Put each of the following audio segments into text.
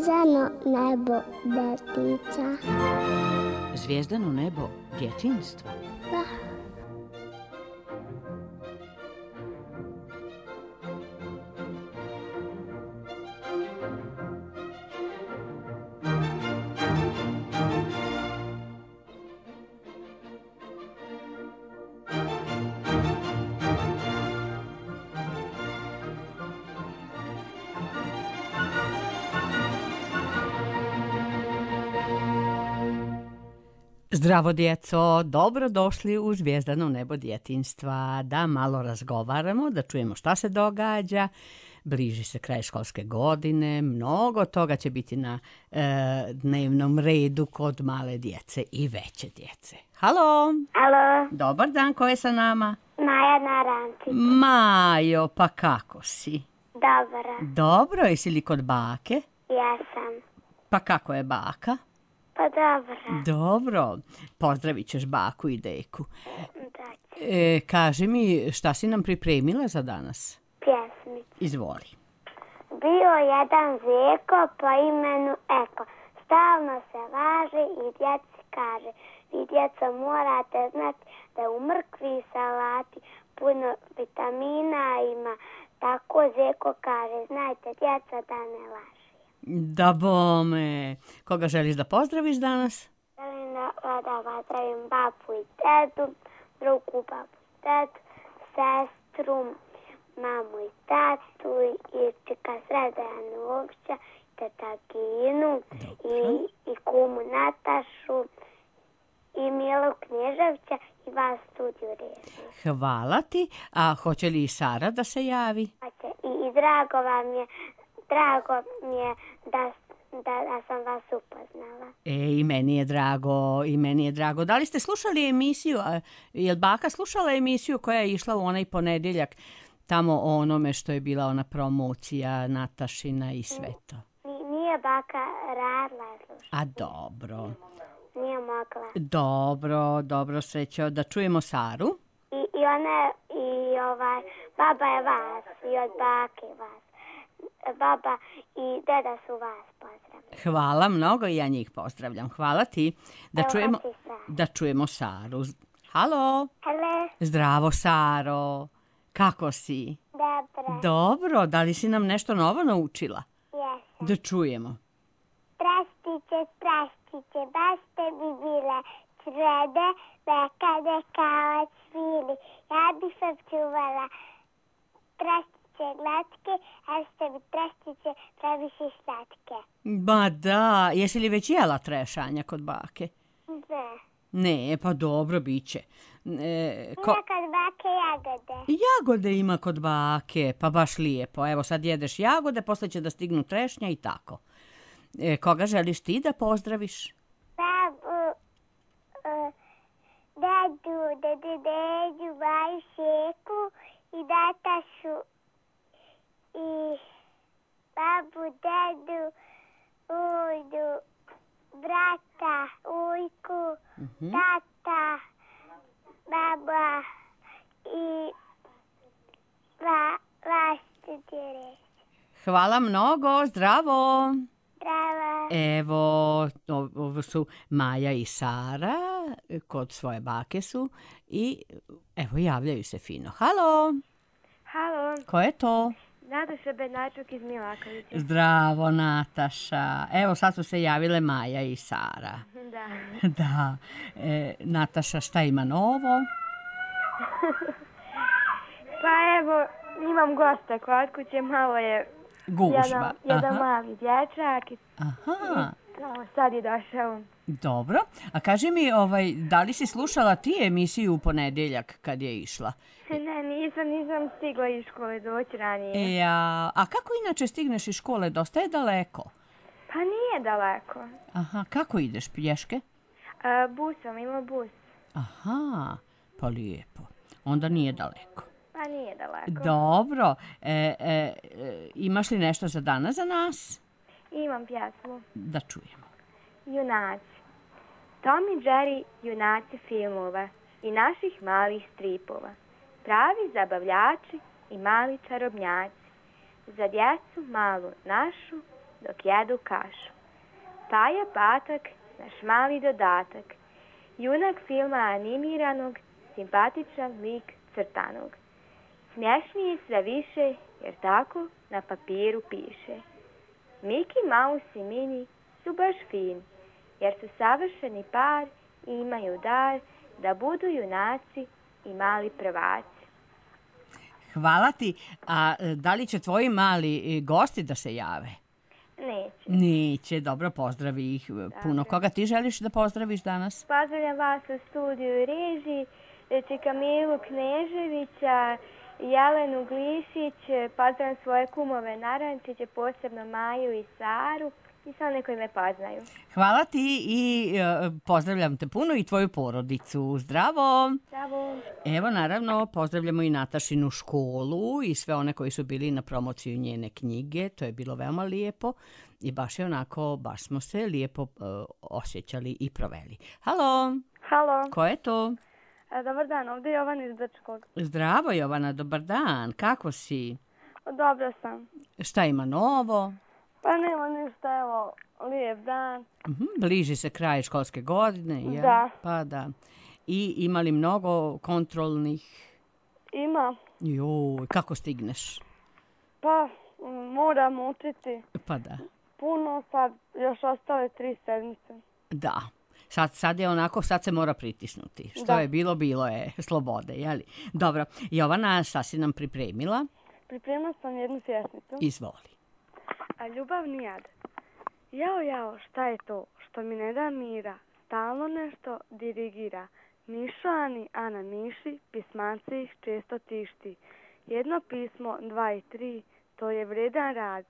Zvijezdano nebo detica. Zvijezdano nebo djetinjstva. Da. Zdravo djeco, dobrodošli u Zvijezdano nebo djetinjstva. Da malo razgovaramo, da čujemo šta se događa. Bliži se kraj školske godine, mnogo toga će biti na dnevnom redu kod male djece i veće djece. Halo! Alo, Dobar dan, ko je sa nama? Maja Narančić. Majo, pa kako si? Dobra, Dobro, jesi li kod bake? jesam. Pa kako je baka? Pa dobra, Dobro, pozdravit ćeš baku i deku. da ću. Kaži mi, šta si nam pripremila za danas? Pjesmić. Izvoli. Bio jedan zeko po imenu Eko. Stalno se važe i djeci kaže. Vi djeco morate znati da u mrkvi i salati puno vitamina ima. Tako zeko kaže. Znajte djeca da ne laže. Da bome. Koga želiš da pozdraviš danas? Želim da pozdravim babu i tetu, drugu babu i tetu, sestru, mamu i tatu, i čika Sredana Novća, teta Ginu, i kumu Natašu, i Milu Knježevića i vas studiju Režnje. Hvala ti. A hoće li i Sara da se javi? I drago mi je da sam vas upoznala. I meni je drago. Da li ste slušali emisiju? Je li baka slušala emisiju koja je išla u onaj ponedjeljak tamo o onome što je bila ona promocija Natašina i sve to? Nije baka radila slušati. A dobro. Nije mogla. Dobro, srećo. Da čujemo Saru. I ona baba je vas i od bake vas. Baba i deda su vas pozdravili. Hvala mnogo i ja njih pozdravljam. Hvala ti. Da čujemo Saru. Halo. Hele, Zdravo, Saro. Kako si? dobro, Dobro, da li si nam nešto novo naučila? jesam. Da čujemo. Praščiće, baš te bi bile črede, bekade kao cvili. Ja bi sam čuvala praščiće glatke, a što bi praščiće previše slatke. Ba da, jesi li već jela trešanja kod bake? Ne. Ne, pa dobro, bit će. Ima kod bake jagode. Jagode ima kod bake, pa baš lijepo. Evo sad jedeš jagode, posle će da stignu trešnja i tako. Koga želiš ti da pozdraviš? Babu, dedu, baju, šeku i datašu i babu, dedu, ujdu, brata, ujku, tata, baba i vas studire. Hvala mnogo, zdravo! Bravo. Evo, ovo su Maja i Sara, kod svoje bake su i evo javljaju se fino. Halo, Halo, ko je to? Nataša Bednačuk iz Milakovića. Zdravo, Nataša. Evo sad su se javile Maja i Sara. Da. Da. Nataša, šta ima novo? Pa evo, imam gosta kod kuće, malo je Gužva. jedan mali dječak i Aha. sad je došao. Dobro. A kaži mi, da li si slušala ti emisiju u ponedjeljak kad je išla? Ne, nisam stigla iz škole doći ranije. A kako inače stigneš iz škole? Dosta je daleko. Pa nije daleko. Aha, kako ideš, pješke? Busom, ima bus. Aha, pa lijepo. Onda nije daleko. Pa nije daleko. Dobro. Imaš li nešto za danas za nas? Imam pjesmu. Da čujemo. Junaci. Tom i Jerry, junaci filmova i naših malih stripova. Pravi zabavljači i mali čarobnjaci. Za djecu malu našu dok jedu kašu. Paja Patak, naš mali dodatak. Junak filma animiranog, simpatičan lik crtanog. Smješniji sve više, jer tako na papiru piše. Mickey Mouse i Minnie su baš fini, jer su savršeni par i imaju dar da budu junaci i mali prvaci. Hvala ti. A da li će tvoji mali gosti da se jave? Neće. Neće, dobro, pozdravi ih puno. Koga ti želiš da pozdraviš danas? Pozdravljam vas u studiju i režiji, Kamilu Kneževića, Jelenu Glišić, pozdravljam svoje kumove Narančiće, posebno Maju i Saru i sve one koji me poznaju. Hvala ti i pozdravljam te puno i tvoju porodicu. Zdravo! Zdravo! Evo, naravno, pozdravljamo i Natašinu školu i sve one koji su bili na promociju njene knjige. To je bilo veoma lijepo i baš je onako, baš smo se lijepo osjećali i proveli. Halo! Halo! Ko je to? Dobar dan, ovdje je Jovana iz Brčkog. Zdravo, Jovana, dobar dan. Kako si? Dobro sam. Šta ima novo? Pa nema ništa, evo, lijep dan. Bliži se kraj školske godine, jel? Da. Pa da. I ima li mnogo kontrolnih? Ima. Joj, kako stigneš? Pa, moram učiti. Pa da. Puno, sad još ostale 3 sedmice. Da. Sad je onako, sad se mora pritisnuti. Što je bilo, bilo je slobode, jeli? Dobro. Jovana, šta si nam pripremila? Pripremila sam jednu pjesmicu. Izvoli. A ljubavni jad. Jao, šta je to što mi ne da mira, stalno nešto dirigira. Mišo Ani, Ana Miši, pismanci ih često tišti. Jedno pismo, 2 i 3, to je vredan rad.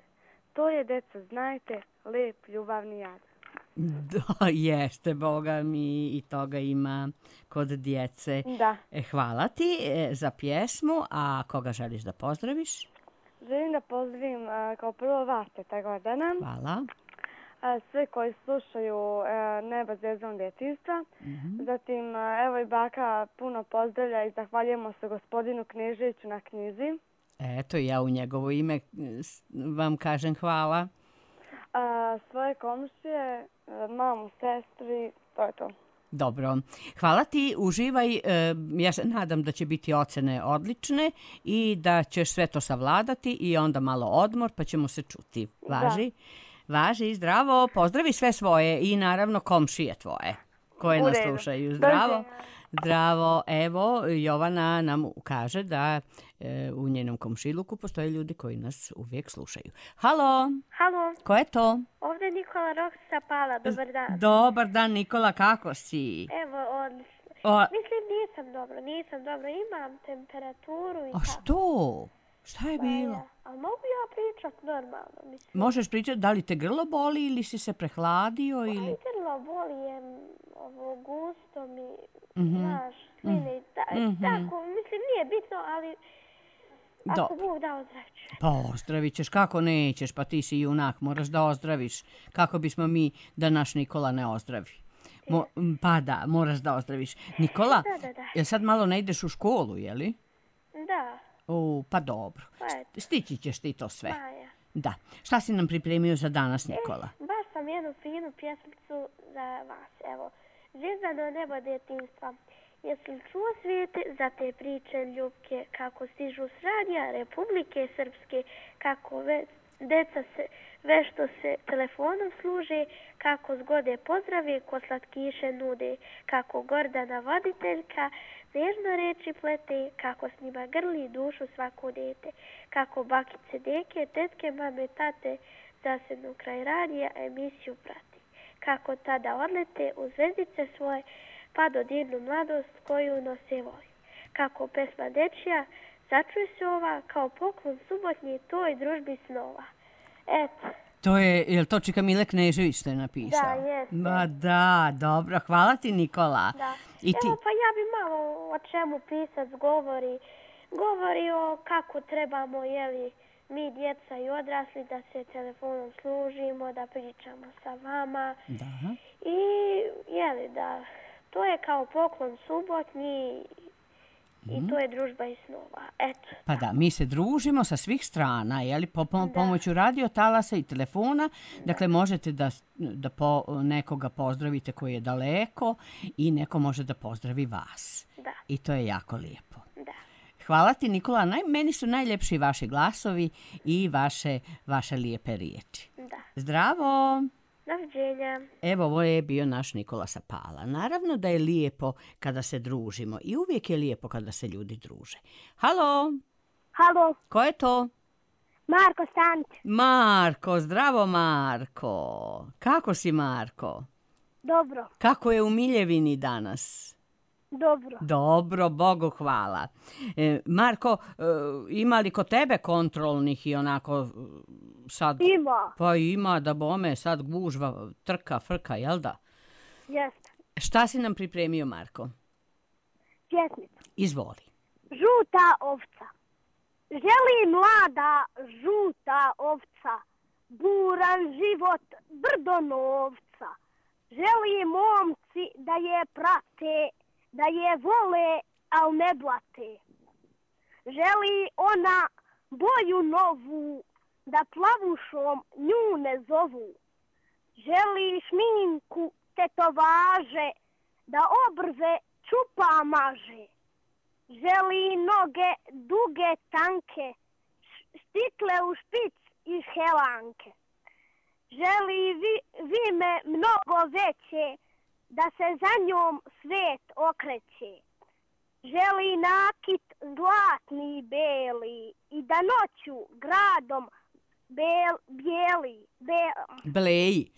To je, deco, znajte, lep ljubavni jad. Da, jeste, Boga mi, i toga ima kod djece. Da. Hvala ti za pjesmu, a koga želiš da pozdraviš? Želim da pozdravim kao prvo vas, Teta Gordana. Hvala. Sve koji slušaju Neba zvezdanog djetinjstva. Zatim, evo i baka puno pozdravlja i zahvaljujemo se gospodinu Kneževiću na knjizi. Eto, ja u njegovo ime vam kažem hvala. Svoje komšije, mamu, sestri, to je to. Dobro. Hvala ti, uživaj. Ja se nadam da će biti ocene odlične i da ćeš sve to savladati i onda malo odmor pa ćemo se čuti. Važi? Važi, zdravo. Pozdravi sve svoje i naravno komšije tvoje koje nas slušaju. Zdravo. Zdravo. Evo, Jovana nam kaže da u njenom komšiluku postoje ljudi koji nas uvijek slušaju. Halo. Halo. Ko je to? Ovdje je Nikola Roksa Pala. Dobar dan. Dobar dan, Nikola. Kako si? Evo, mislim nisam dobro. Imam temperaturu i tako. A što? Šta je bilo? A mogu ja pričat normalno? Mislim. Možeš pričati da li te grlo boli ili si se prehladio ili... Grlo boli je gusto mi, znaš, slini, tako, mislim nije bitno, ali ako Bog da ozdravit. Pa ozdravit ćeš, kako nećeš, pa ti si junak, moraš da ozdraviš. Kako bismo mi da naš Nikola ne ozdravi? Pa da, moraš da ozdraviš. Nikola, jel sad malo ne ideš u školu, jeli? Da. Pa dobro. Stići ćeš ti to sve. Maja. Da. Šta si nam pripremio za danas, Nikola? Baš sam jednu finu pjesmicu za vas. Evo, Zvezdano nebo djetinjstva. Jesi li čuo svijete za te priče ljubke, kako stižu s radija Republike Srpske, kako deca vešto se telefonom služe, kako zgode pozdrave ko slatkiše nude, kako Gordana voditeljka nežno reči plete, kako s njima grli dušu svako dete, kako bakice, deke, tetke, mame, tate zasednu kraj radija emisiju prati, kako tada odlete u zvezdice svoje pa dodirnu mladost koju nose voj. Kako pesma dečija začuje se ova kao poklon subotnji toj družbi snova. Eto. To je to Čika Mile Knežević što je napisao? Da, jeste. Ma da, dobro, hvala ti Nikola. Da. I ti... Evo pa ja bi malo o čemu pisac govori o kako trebamo, jeli, mi djeca i odrasli da se telefonom služimo, da pričamo sa vama. Da. I jeli da to je kao poklon subotnji i to je družba iz snova. Eto. Pa da, mi se družimo sa svih strana, jeli, pomoću radio talasa i telefona, dakle možete da nekoga pozdravite koji je daleko i neko može da pozdravi vas. Da. I to je jako lijepo. Da. Hvala ti, Nikola, meni su najljepši vaši glasovi i vaše lijepe riječi. Da. Zdravo! Doviđenja. Evo, ovo je bio naš Nikola sa Pala. Naravno da je lijepo kada se družimo i uvijek je lijepo kada se ljudi druže. Halo? Halo, Ko je to? Marko Stanić. Marko, zdravo Marko. Kako si, Marko? Dobro, Kako je u Miljevini danas? dobro. Dobro, Bogu hvala. Marko, ima li kod tebe kontrolnih i onako sad... Ima. Pa ima, da bome, sad gužva, trka, frka, jel da? Jeste. Šta si nam pripremio, Marko? Pjesmicu. Izvoli. Žuta ovca. Želi mlada žuta ovca, buran život brdo novca. Želi momci da je prate, da je vole, al ne blate. Želi ona boju novu, da plavušom nju ne zovu. Želi šminku tetovaže, da obrve čupa maže. Želi noge duge tanke, stikle u špic iz helanke. Želi vime mnogo veće, da se za njom svet okreće. Želi nakit zlatni beli i da noću gradom bijeli. Bleji.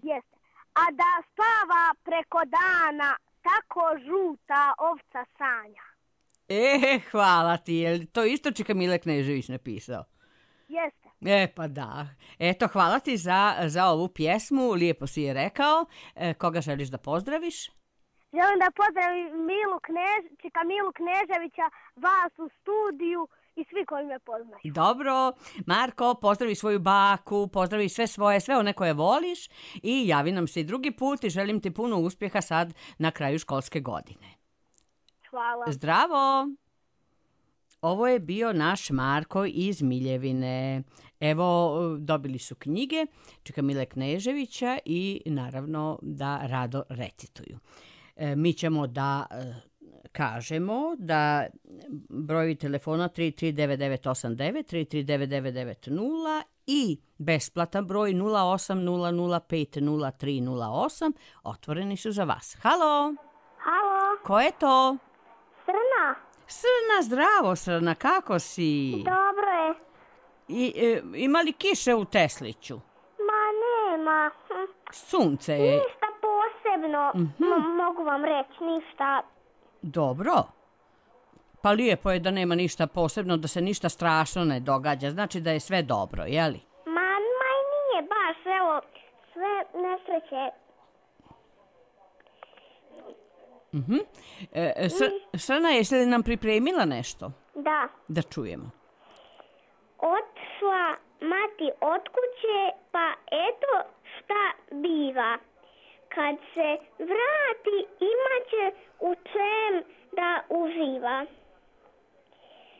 Jeste. A da spava preko dana, tako žuta ovca sanja. Hvala ti. Je to isto Čika Mile Knežević napisao? Jeste. Pa da. Eto, hvala ti za ovu pjesmu. Lijepo si je rekao. Koga želiš da pozdraviš? Želim da pozdravim Čika Milu Kneževića, vas u studiju i svi koji me poznaju. Dobro. Marko, pozdravi svoju baku, pozdravi sve one koje voliš i javi nam se i drugi put i želim ti puno uspjeha sad na kraju školske godine. Hvala. Zdravo! Ovo je bio naš Marko iz Miljevine. Evo, dobili su knjige Čika Mile Kneževića i naravno da rado recituju. Mi ćemo da kažemo da brojevi telefona 339989, 339990 i besplatan broj 0800503008 otvoreni su za vas. Halo! Halo, Ko je to? Srna. Srna, zdravo Srna, kako si? Dobro je. Ima li kiše u Tesliću? Ma nema. Sunce je. Ništa posebno, mogu vam reći, ništa. Dobro. Pa lijepo je da nema ništa posebno, da se ništa strašno ne događa. Znači da je sve dobro, jeli? Ma i nije baš, evo, sve nesreće. Srna, jesi li nam pripremila nešto? Da. Da čujemo. Otišla mati od kuće, pa eto šta biva. Kad se vrati, imaće u čem da uživa.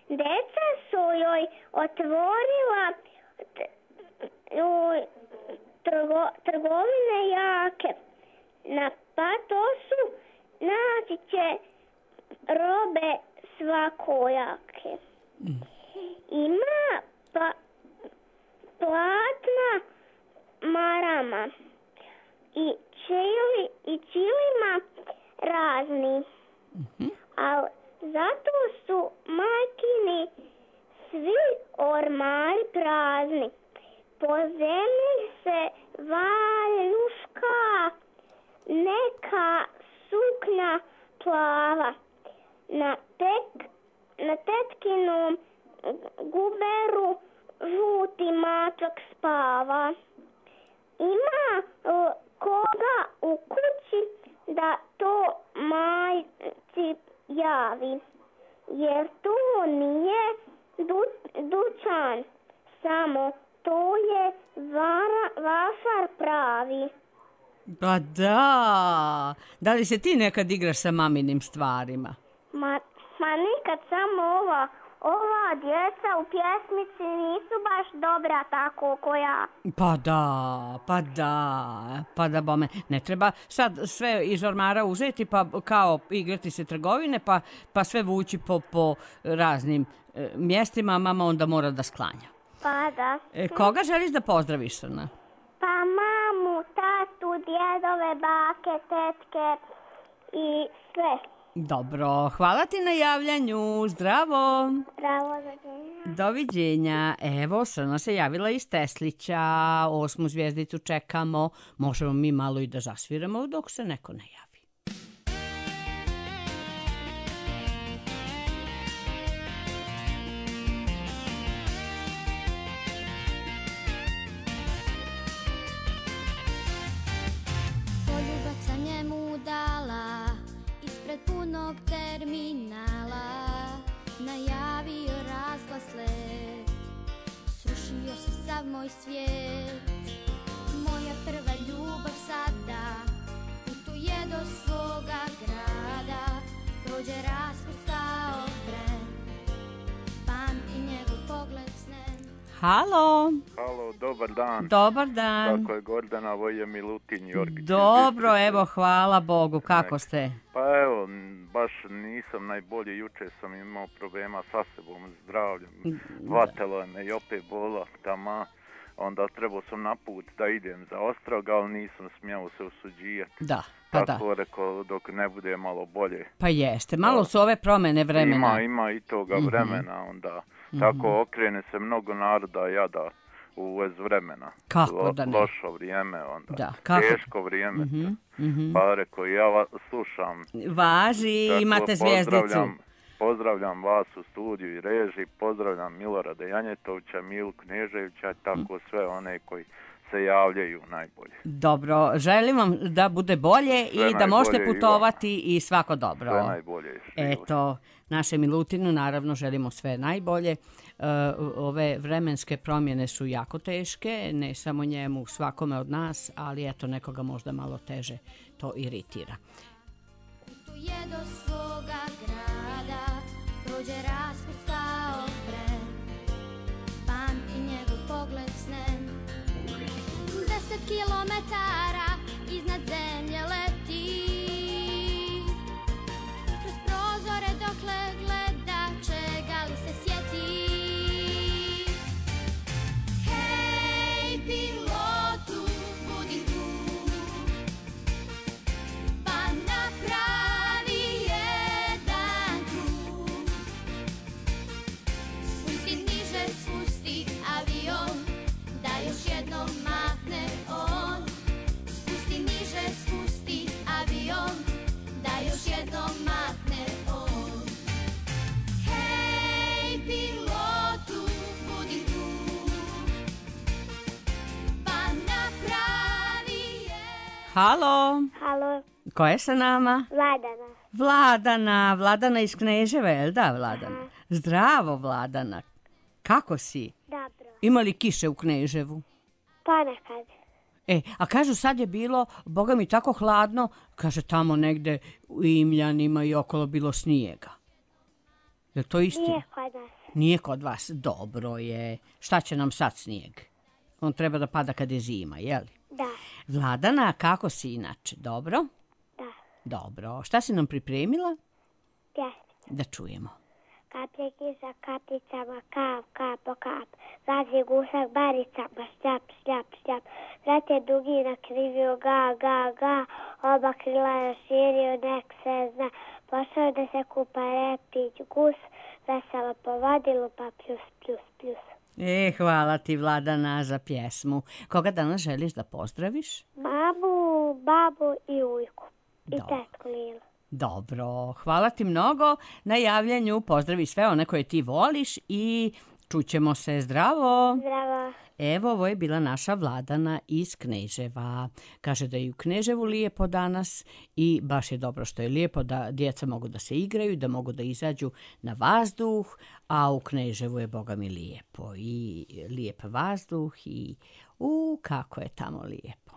Deca su joj otvorila trgovine jake. Na patosu naći će robe svakojake. Ima platna marama i čilima razni. Ali zato su majkini svi ormari prazni. Po zemlji se valjuška neka sukna plava. Na tetkinom guberu žuti mačak spava. Ima koga u kući da to majci javi, jer to nije dućan, samo to je vašar pravi. Pa da li se ti nekad igraš sa maminim stvarima? Ma Ma nikad samo ova djeca u pjesmici nisu baš dobra tako ko ja. Pa da bome. Ne treba sad sve iz ormara uzeti pa kao igrati se trgovine pa sve vući po raznim mjestima, a mama onda mora da sklanja. Pa da. Koga želiš da pozdraviš, Srna? Pa mamu, tatu, djedove, bake, tetke i sve. Dobro, hvala ti na javljanju, zdravo. Zdravo, doviđenja. Doviđenja. Evo, Srna se javila iz Teslića, 8. zvjezdicu čekamo. Možemo mi malo i da zasviramo dok se neko ne javi. Poljubac sam njemu dala ispred punog terminala, najavio razglas let, srušio se sav moj svijet. Moja prva ljubav sada putuje do svoga grada, prođe raspust kao tren, pamti njegov pogled snem. Halo. Halo, dobar dan. Dobar dan. Kako je Gordana, ovo je Milutin Jorgić. Dobro, evo, hvala Bogu, kako ste? Pa evo, baš nisam najbolje, juče sam imao problema sa sebom, zdravljem, vatelo me i opet bola tama, onda trebao sam na put da idem za Ostrog, ali nisam smjeo se usuđijati. Da, pa tako da. rekao, dok ne bude malo bolje. Pa jeste, malo su ove promjene vremena. Ima i toga vremena, onda tako okrene se mnogo naroda jada u vez vremena. Kako da ne? Lošo vrijeme onda, Da, kako? teško vrijeme. Pa rekao, ja vas slušam. Važi, Tako, imate zvjezdicu. Pozdravljam vas u studiju i režiji, pozdravljam Milorada Janjetovića, Milu Kneževića, tako sve one koji se javljaju najbolje. Dobro, želim vam da bude bolje Sve i da možete najbolje putovati i svako dobro. Sve najbolje. Eto, naše Milutinu naravno želimo sve najbolje. Ove vremenske promjene su jako teške, ne samo njemu, svakome od nas, ali eto, nekoga možda malo teže to iritira. Putuje do svoga grada, prođe raspust kao tren, pamti njegov pogled snem. 10 kilometara iznad zemlje leti, kroz prozore dokle gleda, čega li se sjeti. Hej, pilotu, budi tu, pa napravi jedan krug. Spusti niže, spusti avion, da još jednom mahne on. Spusti niže, spusti avion, da još jednom mahne on. Hej, pilotu, budi tu, pa napravi jedan. Halo, Halo, ko je sa nama? Vladana. Vladana iz Kneževa, jel da, Vladana? Zdravo, Vladana. Kako si? Dobro. Ima li kiše u Kneževu? Ponekad. A kažu sad je bilo, boga mi tako hladno, kaže tamo negde u Imljanima i okolo bilo snijega. Je to istina? Nije kod nas. Nije kod vas, dobro je. Šta će nam sad snijeg? On treba da pada kad je zima, jeli? Da. Vladana, kako si inače? Dobro? Da. Dobro. Šta si nam pripremila? Pjesmica. Da čujemo. Kaplje kiša kapljicama, kap, kap po kap. Lazi gusak baricama, šljap, šljap, šljap. Vrat je dugi nakrivio, ga, ga, ga. Oba krila je širio, nek se zna. Pošao da se kupa repić gus. Veselo po vodi lupa, pljus, pljus, pljus. Hvala ti, Vladana, za pjesmu. Koga danas želiš da pozdraviš? Mamu, babu i ujku. I Dobro. tetku Lilu. Dobro, hvala ti mnogo na javljanju. Pozdravi sve one koje ti voliš i čućemo se. Zdravo! Zdravo. Evo, ovo je bila naša Vladana iz Kneževa. Kaže da je u Kneževu lijepo danas i baš je dobro što je lijepo da djeca mogu da se igraju, da mogu da izađu na vazduh, a u Kneževu je boga mi lijepo i lijep vazduh i kako je tamo lijepo.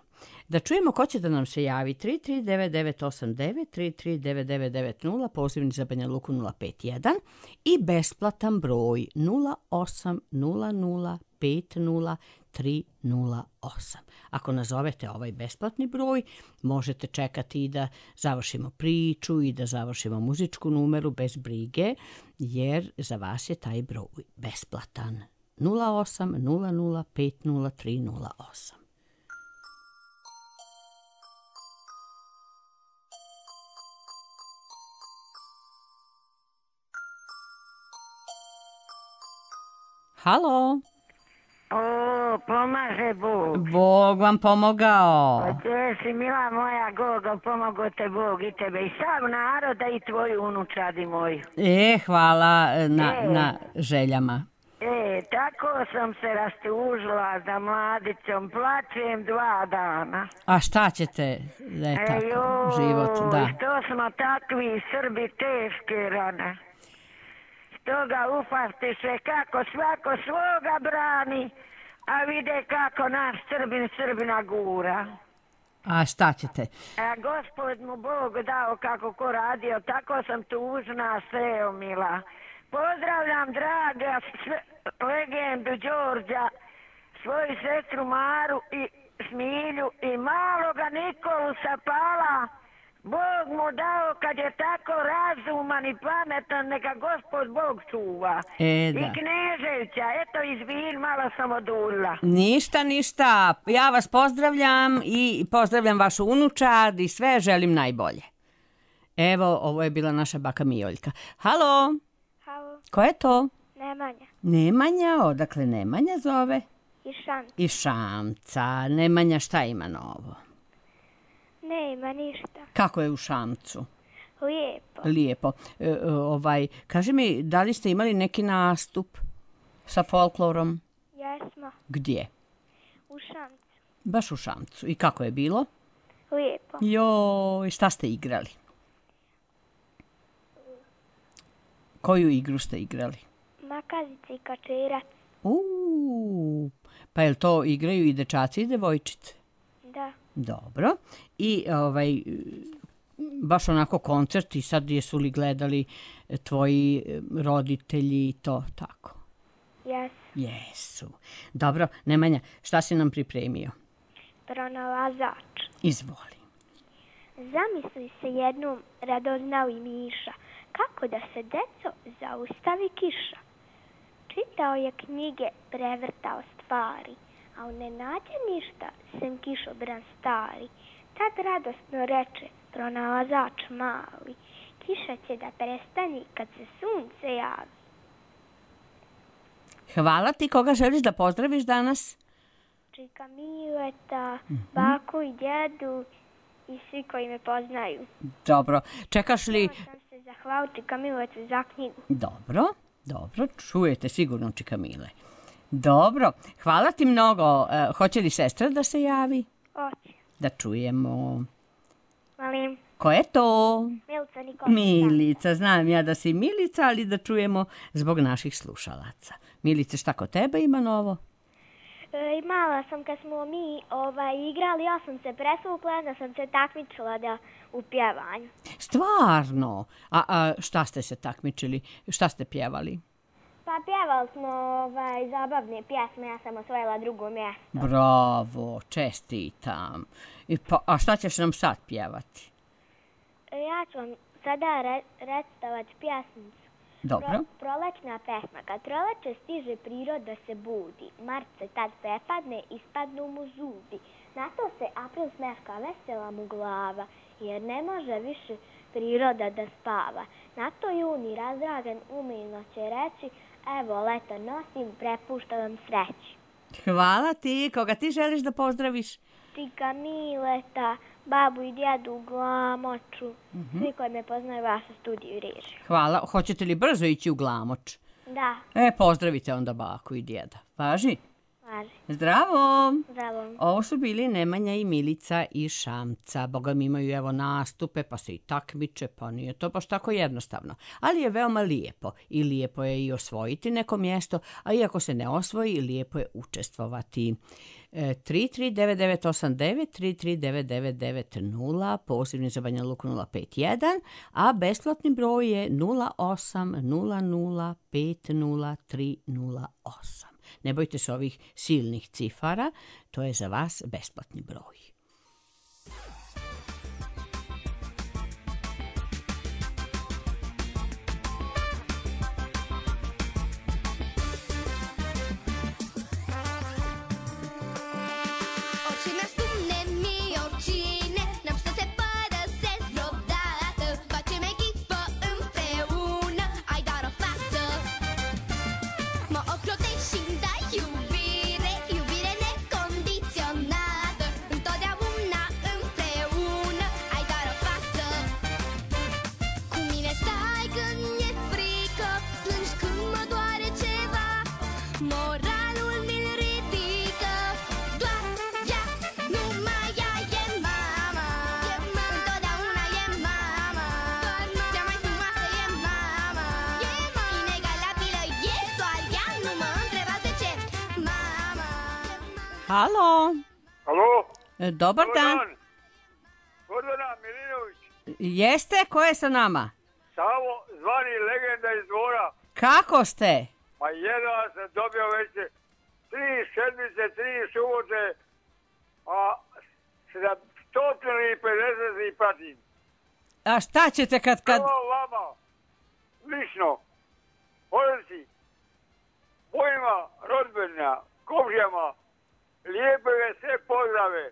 Da čujemo ko će da nam se javi. 339989, 339990, pozivni za Banja Luku 051 i besplatan broj 0800503038. Ako nazovete ovaj besplatni broj, možete čekati i da završimo priču i da završimo muzičku numeru bez brige, jer za vas je taj broj besplatan. 0800503038. Halo? O, pomaže Bog. Bog vam pomogao. Gdje si, mila moja Gogo, pomogo te Bog i tebe i sav naroda i tvoju unučadi moju. Hvala na željama. Tako sam se rastužila za mladicom, plačem 2 dana. A šta ćete, da je tako život, da. Što smo takvi Srbi teške rane. Stoga upastiše kako svako svoga brani, a vide kako naš Srbin Srbina gura. A šta ćete? Gospod mu Bog dao kako ko radio, tako sam tužna seo mila. Pozdravljam draga legendu Đorđa, svoju sestru Maru i Smilju i maloga Nikolu sa Pala. Bog mu dao kad je tako razuman i pametan, neka Gospod Bog čuva. I Kneževića, eto izvin, malo sam oduljila. Ništa, ja vas pozdravljam i pozdravljam vašu unučad i sve želim najbolje. Evo, ovo je bila naša baka Mijoljka. Halo? Halo? Ko je to? Nemanja. Nemanja, odakle Nemanja zove? Iz Šamca. Nemanja, šta ima novo? Nema ništa. Kako je u Šamcu? Lijepo. Kaži mi, da li ste imali neki nastup sa folklorom? Jesmo. Gdje? U Šamcu. Baš u Šamcu. I kako je bilo? Lijepo. Joj, šta ste igrali? Koju igru ste igrali? Makazica i kačerac. Pa je li to igraju i dečaci i devojčice? Da. Dobro. I baš onako koncert i sad jesu li gledali tvoji roditelji i to tako? Jesu. Dobro, Nemanja, šta si nam pripremio? Pronalazač. Izvoli. Zamisli se jednom radoznali miša, kako da se deco zaustavi kiša. Čitao je knjige, prevrtao stvari, a ne nađe ništa, sem kišobran stari. Tad radosno reče pronalazač mali, kiša će da prestani kad se sunce javi. Hvala ti, koga želiš da pozdraviš danas? Čika Mileta, baku i djedu i svi koji me poznaju. Dobro, čekaš li... Htjela sam se zahvaliti Čika Miletu za knjigu. Dobro, čujete sigurno Čika Mile. Dobro, hvala ti mnogo. Hoće li sestra da se javi? Hoće. Da čujemo. Molim. Ko je to? Milica Nikolica. Milica, znam ja da si Milica, ali da čujemo zbog naših slušalaca. Milice, šta kod tebe ima novo? Imala sam kad smo mi igrali, ja sam se presvukla, da sam se takmičila u pjevanju. Stvarno? A šta ste se takmičili? Šta ste pjevali? Pa pjevali smo zabavne pjesme, ja sam osvojila 2. mjesto. Bravo, čestitam. A šta ćeš nam sad pjevati? Ja ću vam sada recitovati pjesmicu. Dobro. Prolećna pesma. Kad proleće stiže priroda se budi. Mart se tad prepadne, ispadnu mu zubi. Na to se april smeška, vesela mu glava, jer ne može više priroda da spava. Na to juni razdragan umilno će reći, evo leto nosim, prepušta vam sreći. Hvala ti. Koga ti želiš da pozdraviš? Čika Mileta, babu i djedu u Glamoču, svi koji me poznaju vašu studiju i režiju. Hvala. Hoćete li brzo ići u Glamoč? Da. Pozdravite onda baku i djeda. Važi? Zdravo! Zdravo. Ovo su bili Nemanja i Milica iz Šamca. Boga mi imaju evo nastupe, pa se i takmiče, pa nije to baš tako jednostavno. Ali je veoma lijepo i lijepo je i osvojiti neko mjesto, a iako se ne osvoji, lijepo je učestvovati. 339989, 339990, pozivni za Banja Luku 051, a besplatni broj je 0800500308. Ne bojte se ovih silnih cifara, to je za vas besplatni broj. Halo. Halo. Dobar dan. Gordana Milinović. Jeste? Ko je sa nama? Savo, zvani legenda iz Dvora. Kako ste? Ma jedva sam dobio već 3 sedmice, 3 subote, a 150 i pratim. A šta ćete kad... Prvo vama, lično, porodici, mojima rodbina, komšijama, lijepe ve sve pozdrave.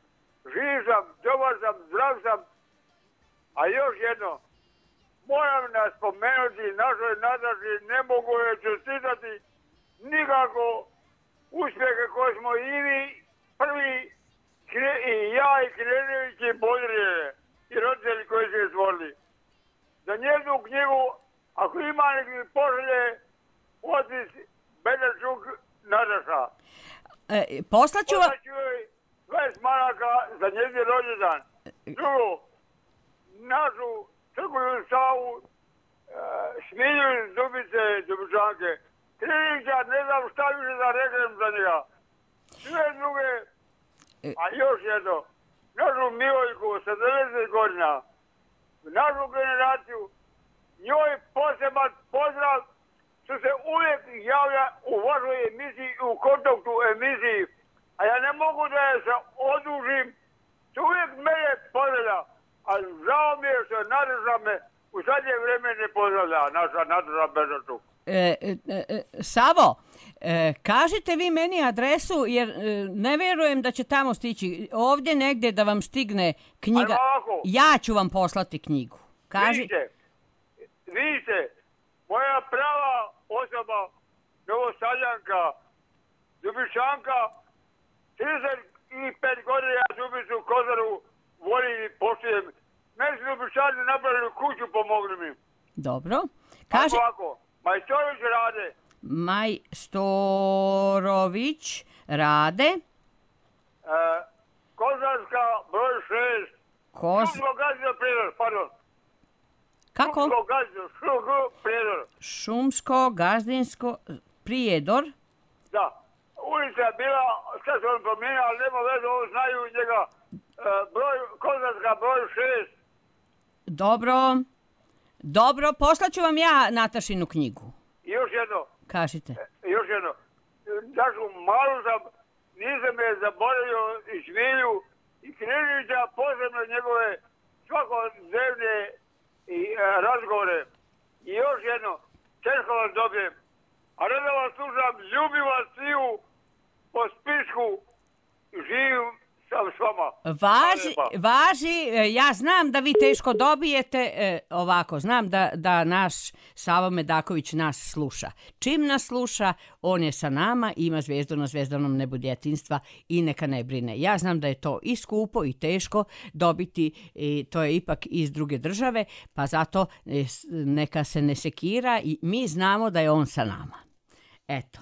Živ sam, dobar sam, zdrav sam. A još jedno, moram nas spomenuti našoj Nataši, ne mogu je čestitati nikako uspjehe koje smo i vi prvi i ja i Knežević i Bodrijeve i roditelji koji su je stvorili. Za njeznu knjigu, ako ima neki pošalje, otis Bedačuk Nataša. Poslaću joj 20 maraka za njezin rođendan. Drugo, našu Crkvenu Savu, Smilju iz Dubice, Dubičanke. Krinića, ne znam šta više da reknem za njega. Sve druge, a još jedno, našu Milojku sa 90 godina, našu generaciju, njoj poseban pozdrav što se uvijek javlja u vašoj emisiji, u kontaktu emisiji, a ja ne mogu da je se odužim, što uvijek mene pozdravlja, a žao mi je što Nataša me u zadnje vrijeme ne pozdravlja, naša Nataša Bežačuk. Savo, kažite vi meni adresu, jer ne vjerujem da će tamo stići. Ovdje negdje da vam stigne knjiga. Ja ću vam poslati knjigu. Vidite, moja prava osoba, Novosadljanka, Dubičanka, 35 godina ja Dubicu Kozaru volim i poštujem. Meni su Dubičani napravili kuću, pomogli mi. Dobro. Ovako, Majstorović Rade. Majstorović Rade. Kozarska broj 6. Šumsko gazdinsko Prijedor, pardon. Kako? Šumsko gazdinsko Prijedor. Šumsko gazdinsko Prijedor. Da. Ulica je bila, sad se on promijenio, ali nema veze, ovo znaju njega. Kozarska broj 6. Dobro, poslaću vam ja Natašinu knjigu. I još jedno. Kažite. Još jedno. Našu malu sam, nisam je zaboravio i Smilju i Kneževića, posebno njegove svakodnevne razgovore. I još jedno, teško vas dobijem. A ne da vas slušam, ljubim vas sviju po spisku, živim sam s vama. Važi, ja znam da vi teško dobijete, ovako, znam da naš Savo Medaković nas sluša. Čim nas sluša, on je sa nama, ima zvijezdu na zvjezdanom nebu djetinjstva i neka ne brine. Ja znam da je to i skupo i teško dobiti, to je ipak iz druge države, pa zato neka se ne sekira i mi znamo da je on sa nama. Eto.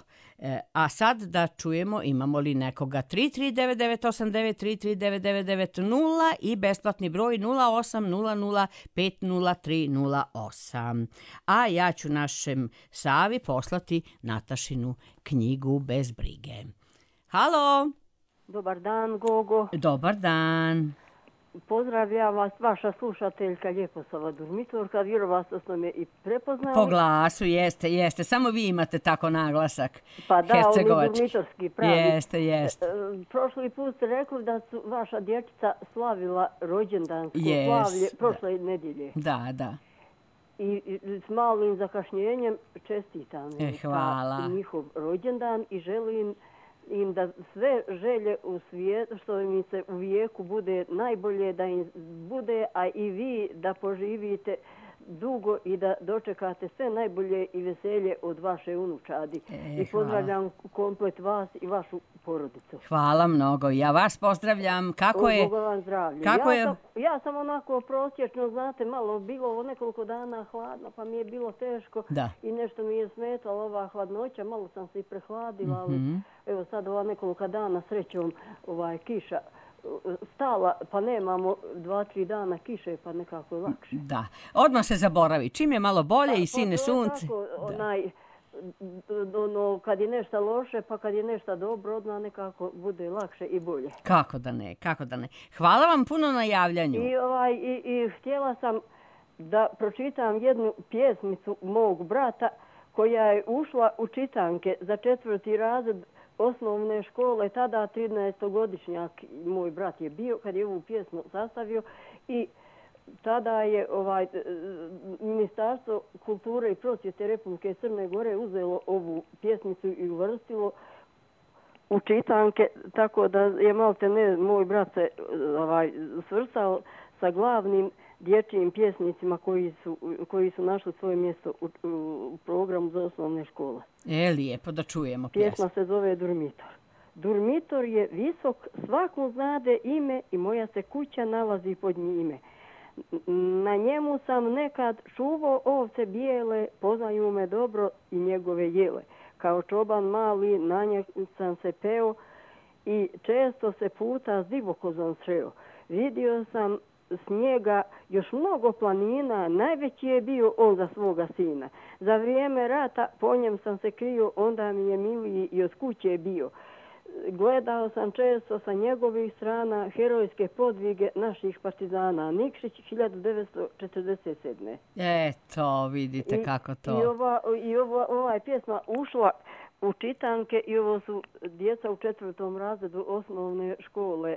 A sad da čujemo imamo li nekoga 3399893 3399990 i besplatni broj 0800500308. A ja ću našem Savi poslati Natašinu knjigu Bez brige. Halo! Dobar dan, Gogo. Dobar dan. Pozdravljam vas, vaša slušateljka Ljeposava Durmitorka. Vjerovatno ste me i prepoznali. Po glasu, jeste. Samo vi imate tako naglasak. Pa da, on je durmitorski pravi. Jeste. Prošli put ste rekli da su vaša dječica slavila rođendansko slavlje prošle nedjelje. Da. I s malim zakašnjenjem čestitam Hvala. njihov rođendan i želim im da sve želje u svijetu što im se u vijeku bude najbolje da im bude, a i vi da poživite dugo i da dočekate sve najbolje i veselje od vaše unučadi. I pozdravljam komplet vas i vašu porodicu. Hvala mnogo. Ja vas pozdravljam. Kako je? Boga vam zdravlje. Ja sam onako prosječno, znate, malo bilo nekoliko dana hladno, pa mi je bilo teško i nešto mi je smetalo ova hladnoća. Malo sam se i prehladila, ali evo sad ova nekoliko dana srećom kiša stala, pa nemamo 2-3 dana kiše, pa nekako je lakše. Da, odmah se zaboravi. Čim je malo bolje i sine sunce. Kad je nešto loše, pa kad je nešto dobro, odmah nekako bude lakše i bolje. Kako da ne. Hvala vam puno na javljanju. I htjela sam da pročitam jednu pjesmicu mog brata koja je ušla u čitanke za 4. razred osnovne škole, tada 13-godišnjak moj brat je bio kad je ovu pjesmu sastavio i tada je Ministarstvo kulture i prosvjete Republike Crne Gore uzelo ovu pjesmicu i uvrstilo u čitanke, tako da je malte ne moj brat se svrstao sa glavnim dječjim pjesnicima koji su našli svoje mjesto u programu za osnovne škole. Lijepo da čujemo pjesmu. Pjesma se zove Durmitor. Durmitor je visok, svakom znade ime i moja se kuća nalazi pod njime. Na njemu sam nekad čuvao ovce bijele, poznaju me dobro i njegove jele. Kao čoban mali na njem sam se peo i često se puta s divokozom sreo. Vidio sam s njega još mnogo planina, najveći je bio on za svoga sina. Za vrijeme rata po njem sam se krio, onda mi je miliji i od kuće bio. Gledao sam često sa njegovih strana herojske podvige naših partizana. Nikšić 1947. Eto, vidite kako to. I ova je pjesma ušla u čitanke i ovo su djeca u 4. razredu osnovne škole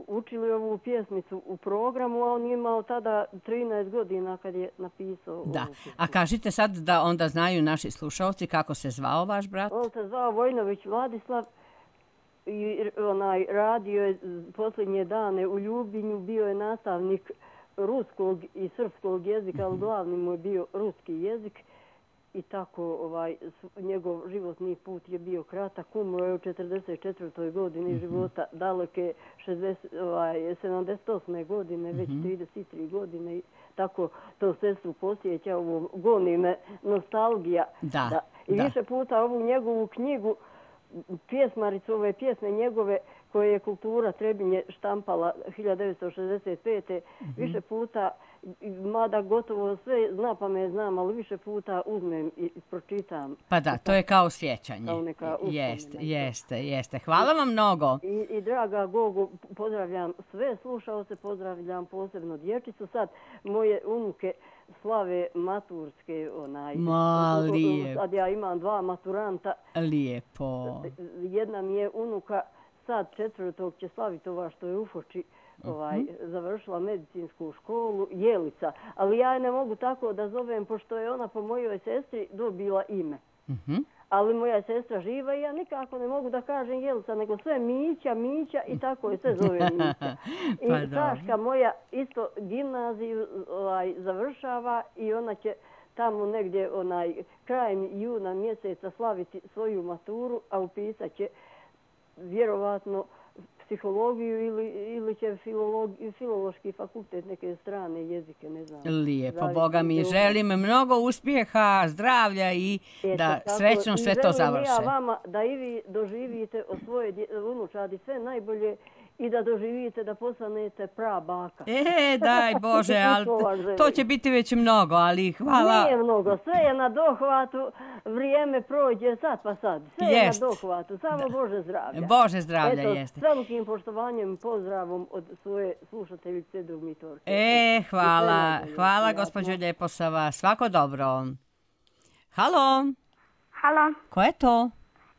učili ovu pjesmicu u programu, a on je imao tada 13 godina kad je napisao. Da, a kažite sad da onda znaju naši slušalci kako se zvao vaš brat? On se zvao Vojnović Vladislav i radio je posljednje dane u Ljubinju, bio je nastavnik ruskog i srpskog jezika, ali glavni mu je bio ruski jezik. I tako njegov životni put je bio kratak. Umro je u 44. godini života, daleke 78. godine, već 33 godine. I tako to sestru posjeća, goni me nostalgija. I više puta ovu njegovu knjigu, pjesmaricu ove pjesme njegove koje je Kultura Trebinje štampala 1965. Više puta, mada gotovo sve znam, ali više puta uzmem i pročitam. Pa da, to je kao sjećanje. Jeste. Hvala vam mnogo. I draga Gogo, pozdravljam sve slušaoce, pozdravljam posebno dječicu. Sad moje unuke slave maturske. Lijepo. Sad ja imam 2 maturanta. Lijepo. Jedna mi je unuka sad 4. će slaviti ova što je u Foči završila medicinsku školu, Jelica. Ali ja je ne mogu tako da zovem, pošto je ona po mojoj sestri dobila ime. Ali moja je sestra živa i ja nikako ne mogu da kažem Jelica, nego sve Mića i tako je sve zove Mića. I Saška moja isto gimnaziju završava i ona će tamo negdje krajem juna mjeseca slaviti svoju maturu, a upisat će vjerovatno psihologiju ili će filološki fakultet, neke strane jezike, ne znam. Lijepo, Boga mi želim mnogo uspjeha, zdravlja i da srećno sve to završe. I želim ja vama da i vi doživite od svoje unučadi sve najbolje i da doživite da postanete prabaka. Daj Bože, ali to će biti već mnogo, ali hvala. Nije mnogo, sve je na dohvatu, vrijeme prođe sad pa sad. Sve je na dohvatu, samo Bože zdravlja. Bože zdravlja, jeste. S velikim poštovanjem i pozdravom od svoje slušateljice Dugmitorke. Hvala gospođo Ljeposava, svako dobro. Halo? Halo? Ko je to?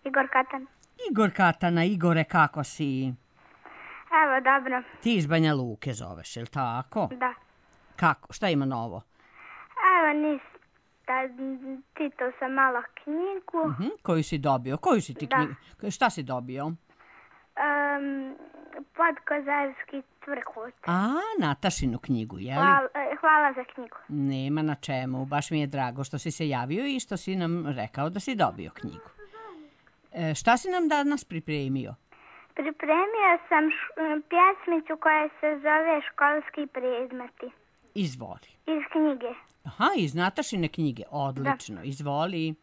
Igor Katan. Igor Katana, Igore, kako si? Evo, dobro. Ti iz Banja Luke zoveš, je li tako? Da. Kako? Šta ima novo? Evo, čitao sam malo knjigu. Koju si dobio? Koju si ti knjigu? Šta si dobio? Podkozarski tvrkut. Natašinu knjigu, je li? Hvala za knjigu. Nema na čemu. Baš mi je drago što si se javio i što si nam rekao da si dobio knjigu. Šta si nam danas pripremio? Pripremio sam pjesmicu koja se zove Školski predmeti. Izvoli. Iz knjige. Iz Natašine knjige. Odlično. Izvoli.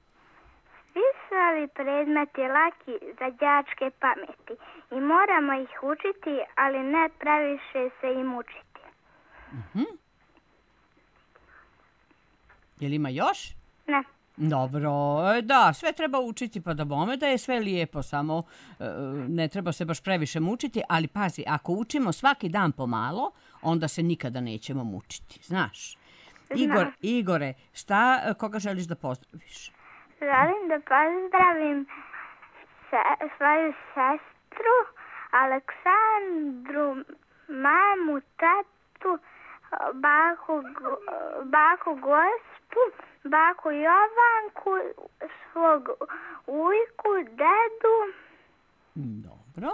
Svi su ovi predmeti laki za đačke pameti i moramo ih učiti, ali ne previše se im učiti. Je li ima još? Ne. Dobro, da, sve treba učiti pa da bome da je sve lijepo, samo ne treba se baš previše mučiti, ali pazi, ako učimo svaki dan pomalo, onda se nikada nećemo mučiti, znaš. Igore, koga želiš da pozdraviš? Želim da pozdravim svoju sestru, Aleksandru, mamu, tatu, baku Gospu, baku Jovanku, svog ujku, dedu. Dobro.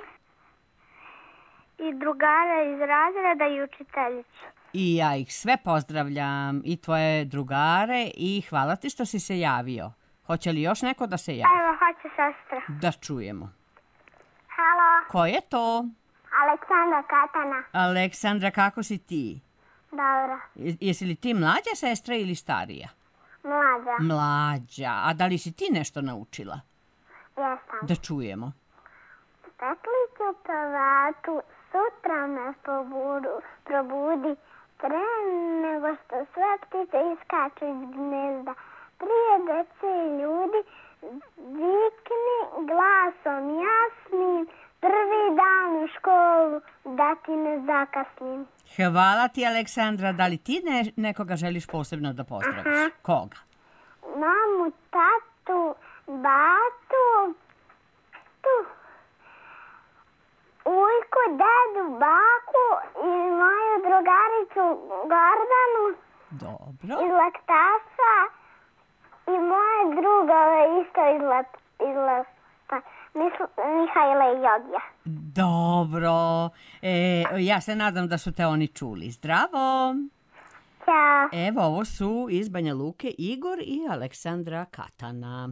I drugara iz razreda i učiteljicu. I ja ih sve pozdravljam, i tvoje drugare, i hvala ti što si se javio. Hoće li još neko da se javi? Evo, hoće sestra. Da čujemo. Halo. Ko je to? Aleksandra Katana. Aleksandra, kako si ti? Dobro. Jesi li ti mlađa sestra ili starija? Mlađa. A da li si ti nešto naučila? Jesam. Da čujemo. Petliću pevatu, sutra me probudi, pre nego što sve ptice iskaču iz gnezda. Prije dece i ljudi, vikni glasom jasnim, prvi dan u školu, da ti ne zakasnim. Hvala ti, Aleksandra. Da li ti nekoga želiš posebno da pozdraviš? Koga? Mamu, tatu, batu, ujku, dedu, baku i moju drugaricu Gordanu. Dobro. Iz Laktasa i moje drugove isto iz Laktasa. Mihajla i Jogija. Dobro. Ja se nadam da su te oni čuli. Zdravo. Ćao. Evo, ovo su iz Banja Luke Igor i Aleksandra Katana.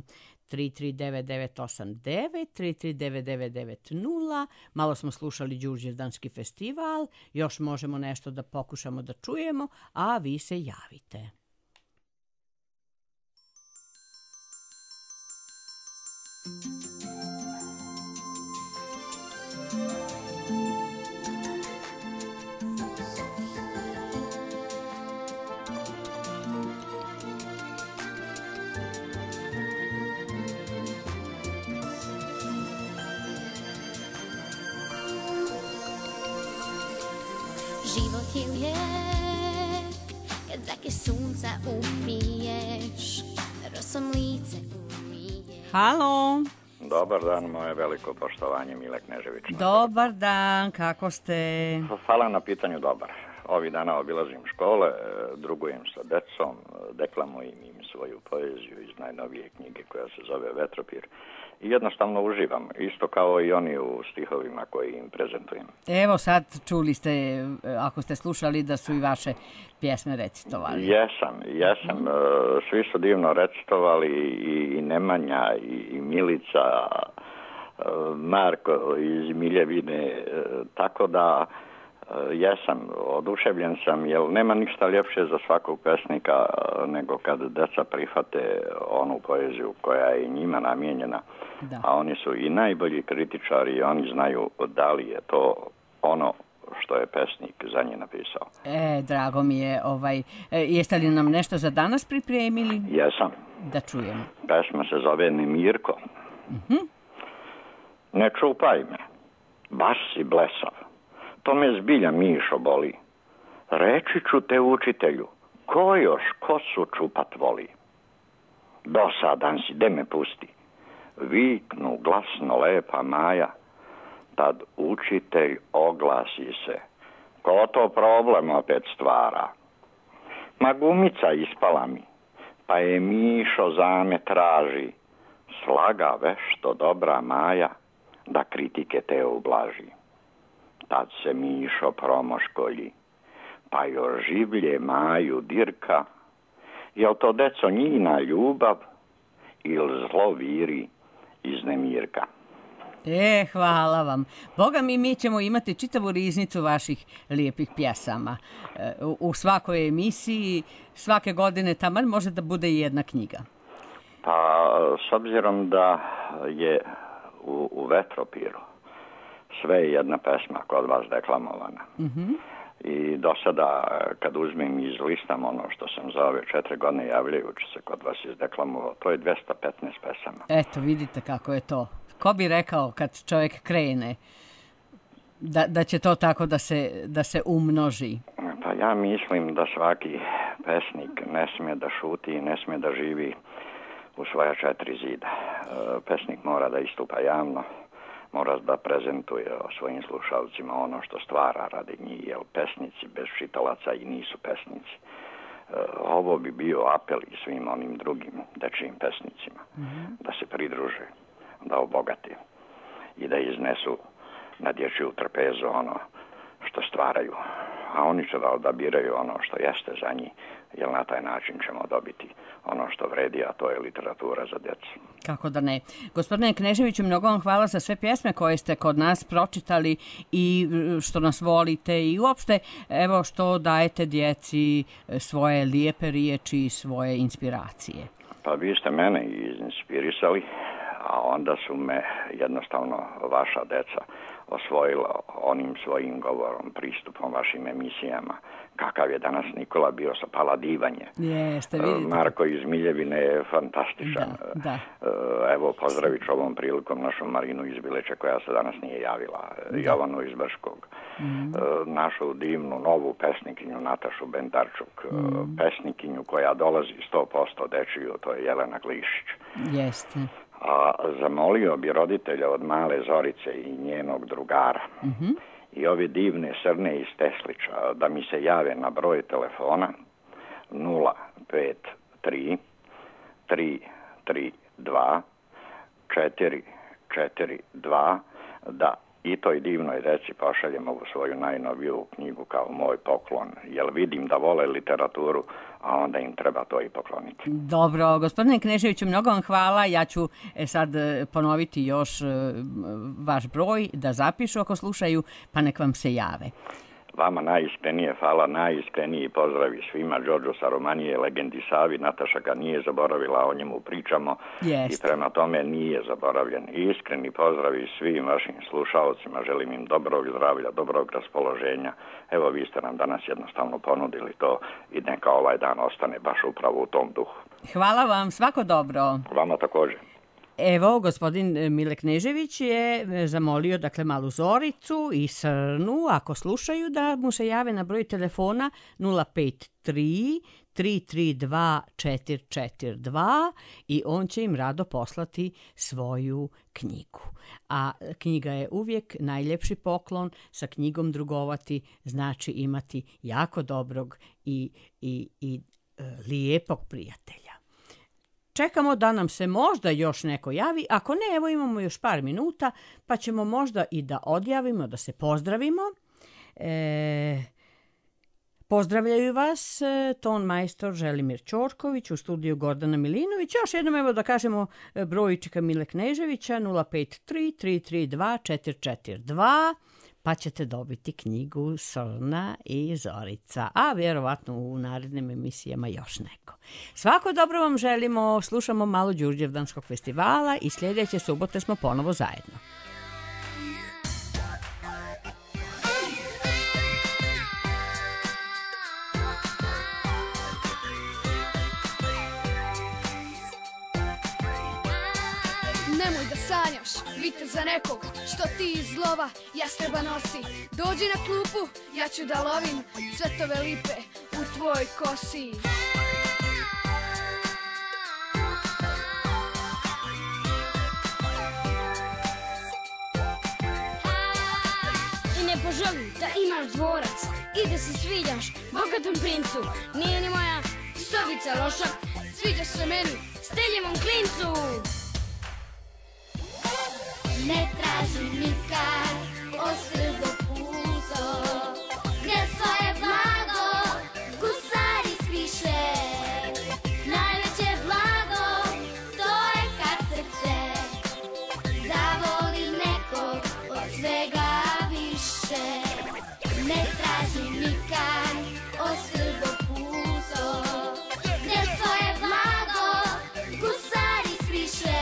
33989, 3399990. Malo smo slušali Đurđevdanski festival. Još možemo nešto da pokušamo da čujemo, a vi se javite. Život je lijep kad zrake sunca upiješ, rosom lice umiješ. Halo. Dobar dan, moje veliko poštovanje, Mile Knežević. Dobar dan, kako ste? Hvala na pitanju, dobar. Ovih dana obilazim škole, drugujem sa decom, deklamujem im svoju poeziju iz najnovije knjige koja se zove Vetropir. I jednostavno uživam, isto kao i oni u stihovima koji im prezentujem. Evo sad čuli ste, ako ste slušali, da su i vaše pjesme recitovali. Jesam. Svi su divno recitovali, i Nemanja, i Milica, Marko iz Miljevine, tako da jesam, oduševljen sam, jer nema ništa ljepše za svakog pesnika nego kad deca prihvate onu poeziju koja je njima namijenjena, a oni su i najbolji kritičari i oni znaju da li je to ono što je pesnik za nje napisao. Drago mi je. Jeste li nam nešto za danas pripremili? Jesam. Da čujemo. Pesma se zove Nemirko. Ne čupaj me, baš si blesav. To me zbilja Mišo boli. Reći ću te učitelju, ko još kosu čupat voli? Dosadan si, de me pusti. Viknu glasno lepa Maja. Tad učitelj oglasi se. Ko to problem opet stvara? Ma gumica ispala mi, pa je Mišo zame traži. Slaga vešto dobra Maja, da kritike te ublaži. Tad se Mišo promoškolji, pa još življe Maju dirka. Jel to deco njina ljubav ili zlo viri iz Nemirka? Hvala vam. Boga mi ćemo imati čitavu riznicu vaših lijepih pjesama. U svakoj emisiji, svake godine taman može da bude i jedna knjiga. Pa, s obzirom da je u Vetropiru sve jedna pesma kod vas deklamovana. I do sada, kad uzmem i izlistam ono što sam za ove 4 godine javljajući se kod vas izdeklamovao, to je 215 pesama. Eto, vidite kako je to. Ko bi rekao kad čovjek krene da će to tako da se umnoži? Pa ja mislim da svaki pesnik ne smije da šuti i ne smije da živi u svoja 4 zida. Pesnik mora da istupa javno, mora da prezentuje svojim slušalcima ono što stvara radi njih, jer pesnici bez čitalaca i nisu pesnici. Ovo bi bio apel i svim onim drugim dečijim pesnicima da se pridruže, da obogate i da iznesu na dječju trpezu ono što stvaraju, a oni će da odabiraju ono što jeste za njih, jer na taj način ćemo dobiti ono što vredi, a to je literatura za djecu. Kako da ne. Gospodine Kneževiću, mnogo vam hvala za sve pjesme koje ste kod nas pročitali i što nas volite i uopšte evo što dajete djeci svoje lijepe riječi i svoje inspiracije. Pa vi ste mene inspirisali, a onda su me jednostavno vaša deca osvojila onim svojim govorom, pristupom vašim emisijama. Kakav je danas Nikola bio sa Paladivanje. Jeste, vidite. Marko iz Miljevine je fantastičan. Da. Evo, pozdravit ću ovom prilikom našu Marinu iz Bileća koja se danas nije javila. Jovanu iz Brškog. Našu divnu novu pesnikinju Natašu Bendarčuk. Pesnikinju koja dolazi 100% dečiju, to je Jelena Glišić. Jeste. A zamolio bi roditelja od male Zorice i njenog drugara i ove divne Srne iz Teslića da mi se jave na broj telefona 053 332 442 da i toj divnoj deci pošaljem ovu svoju najnoviju knjigu kao moj poklon, jer vidim da vole literaturu, a onda im treba to i pokloniti. Dobro, gospodine Kneževiću, mnogo vam hvala. Ja ću sad ponoviti još vaš broj da zapišu ako slušaju, pa nek vam se jave. Vama najiskrenije hvala, najiskreniji pozdravi svima. Đorđo sa Romanije, legendi Savi, Nataša ga nije zaboravila, o njemu pričamo. I prema tome nije zaboravljen. Iskreni pozdravi svim vašim slušalcima, želim im dobrog zdravlja, dobrog raspoloženja. Evo, vi ste nam danas jednostavno ponudili to i neka ovaj dan ostane baš upravo u tom duhu. Hvala vam, svako dobro. Vama također. Evo, gospodin Mile Knežević je zamolio, dakle, malu Zoricu i Srnu, ako slušaju, da mu se jave na broj telefona 053 332 442 i on će im rado poslati svoju knjigu. A knjiga je uvijek najljepši poklon, sa knjigom drugovati znači imati jako dobrog i lijepog prijatelja. Čekamo da nam se možda još neko javi, ako ne, evo imamo još par minuta, pa ćemo možda i da odjavimo, da se pozdravimo. Pozdravljaju vas ton majstor Želimir Ćorković, u studiju Gordana Milinović. Još jednom evo da kažemo brojčika Mile Kneževića 053 332 442, pa ćete dobiti knjigu Srna i Zorica, a vjerovatno u narednim emisijama još neko. Svako dobro vam želimo, slušamo malo Đurđevdanskog festivala i sljedeće subote smo ponovo zajedno. Nemoj da sanjaš, vite za nekog, što ti iz lova jastreba nosi. Dođi na klupu, ja ću da lovim cvetove lipe u tvoj kosi. I ne poželim da imaš dvorac i da se sviđaš bogatom princu. Nije ni moja sobica loša, sviđaš se meni, steljivom klincu. Ne traži nikad ostrvo puzo, gdje svoje blago gusari skriše. Najveće blago, to je kad srce zavoli nekog od svega više. Ne traži nikad ostrvo puzo, gdje svoje blago gusari skriše.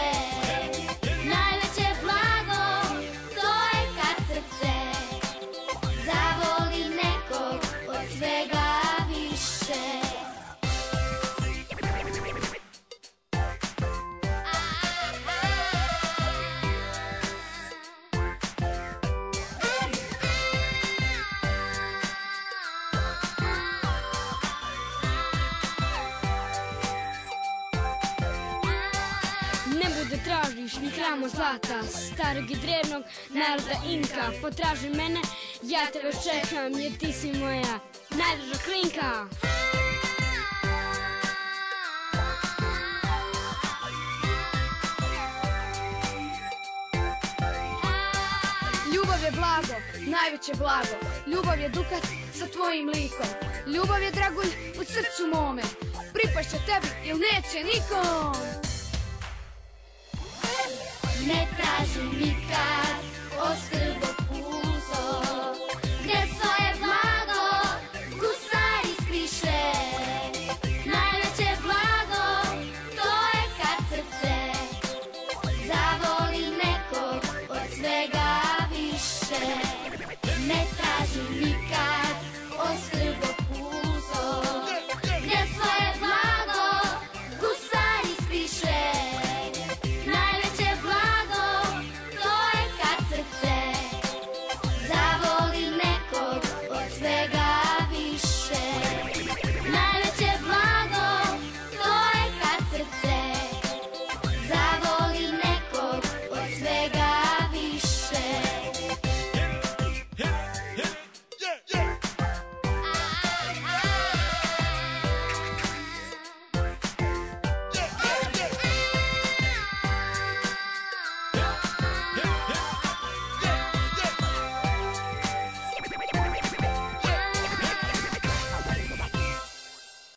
Ni hramo zlata, starog i drevnog naroda Inka. Potraži mene, ja te već čekam, jer ti si moja najdraža klinka. Ljubav je blago, najveće blago. Ljubav je dukat sa tvojim likom. Ljubav je dragulj u srcu mome. Pripašće tebi ili neće nikom. Ne traži nikad ostrvo puzo, gdje svoje blago gusari skriše. Najveće blago, to je kad srce zavoli nekog od svega više. Ne traži nikad ostrvo puzo, gdje svoje blago gusari skriše. Svega